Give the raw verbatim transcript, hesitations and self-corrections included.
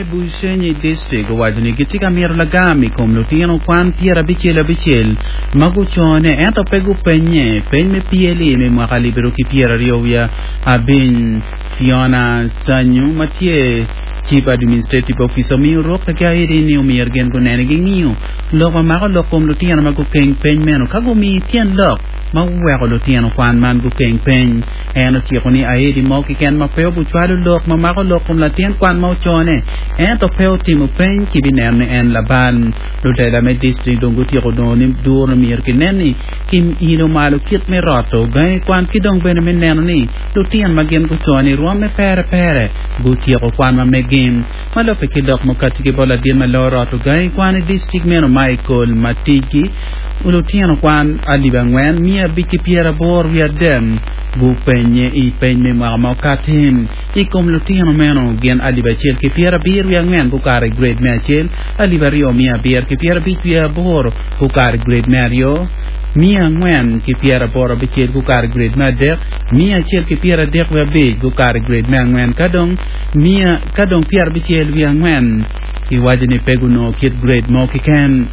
Bushenyi District owaco ni gitye ka mito lagam i kom lutino kwan pyerabicel abicel ma gucone ento pe gupenye peny me P L E me mwaka alip aryo ki pyeraryo wiye abic. Fiona Sanyu ma tye Chief Administrative Officer omiyo rukca ki aidi ni omyero gin gunene ging'iyo lok ma mako lok kom lutino ma gukeng peny meno ka gumi tyen lok ma oweko lutino kwan man gukeng peny. En ociko ni aidi mo keken ma pe obucwalo lok ma mako lok kom latin kwan ma ocone ento pe otimo peny kibineno ni en labal. Lutela me district dong gutyeko nongo ni duro myero kinen ni kiilo malo kit me roto gangi kwan ki dong bene me neno ni lutino ma gin gucone rwom me pere pere gutyeko kwan ma megin. Ma lubbe ki lok mukati ki bot ladit ma loo roto gangi kwan i district meno, Michael Matigi, lutino kwan alip angwen mia abic ki pyeraboro wiye adek gupenye i peny me mwaka ma okati. I kom lutino meno, gin alip acel ki pyerabiro wiye angwen gukato i grade me acel, alip aryo mia abiro ki pyerabic wiye aboro gukato i grade me aryo, mia angwen ki pyeraboro abicel gukato i grade me adek, mia acel ki pyeradek wiye abic gukato i grade me angwen, ka dong mia ka dong pyerabicel wiye angwen iwaco ni pe gunongo kit grade mo keken.